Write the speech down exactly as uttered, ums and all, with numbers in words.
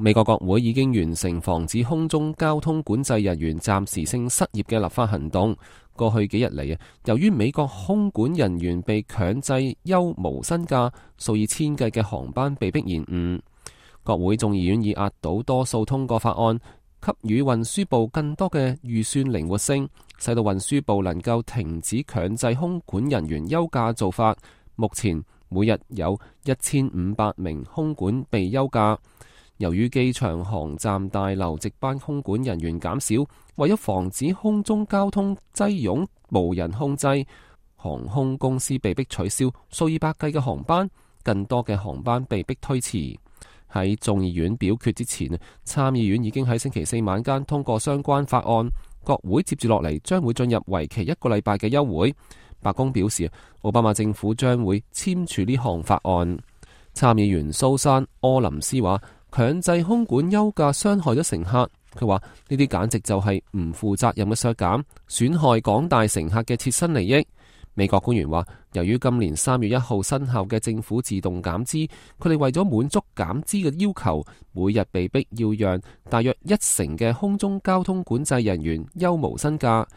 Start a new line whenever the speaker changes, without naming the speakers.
美國國會已經完成防止空中交通管制人員暫時性失業嘅立法行動。過去幾日嚟啊，由於美國空管人員被強制休無薪假，數以千計嘅航班被迫延誤。國會眾議院以壓倒多數通過法案，給予運輸部更多嘅預算靈活性，使到運輸部能夠停止強制空管人員休假做法。目前每日有一千五百名空管被休假。由於機場航站大樓值班空管人員減少，為咗防止空中交通擠擁無人控制，航空公司被迫取消數以百計嘅航班，更多嘅航班被迫推遲。喺眾議院表決之前，參議院已經喺星期四晚間通過相關法案，國會接住落嚟將會進入為期一個禮拜嘅休會。白宮表示，奧巴馬政府將會簽署呢項法案。參議員蘇珊·柯林斯話，強制空管休假傷害咗乘客。佢話呢啲簡直就係唔負責任嘅削減，損害廣大乘客嘅切身利益。美國官員話，由於今年三月一號生效嘅政府自動減資，佢哋為咗滿足減資嘅要求，每日被逼要讓大約一成嘅空中交通管制人員休無薪假。